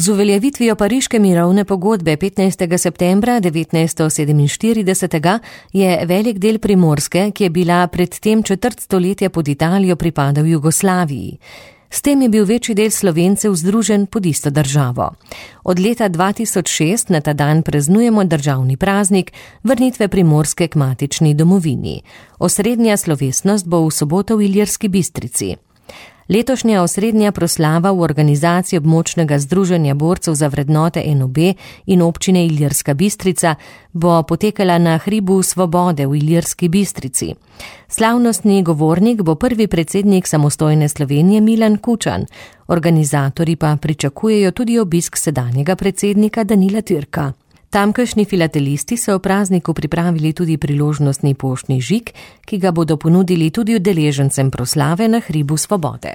Z uveljavitvijo Pariške mirovne pogodbe 15. septembra 1947 je velik del Primorske, ki je bila predtem četrt stoletja pod Italijo, pripadal Jugoslaviji. S tem je bil večji del Slovencev združen pod isto državo. Od leta 2006 na ta dan praznujemo državni praznik vrnitve Primorske k matični domovini. Osrednja slovesnost bo v soboto v Ilirski Bistrici. Letošnja osrednja proslava v organizaciji območnega združenja borcev za vrednote NOB in občine Ilirska Bistrica bo potekala na hribu Svobode v Ilirski Bistrici. Slavnostni govornik bo prvi predsednik samostojne Slovenije Milan Kučan. Organizatorji pa pričakujejo tudi obisk sedanjega predsednika Danila Türka. Tamkajšnji filatelisti so v prazniku pripravili tudi priložnostni poštni žig, ki ga bodo ponudili tudi udeležencem proslave na hribu Svobode.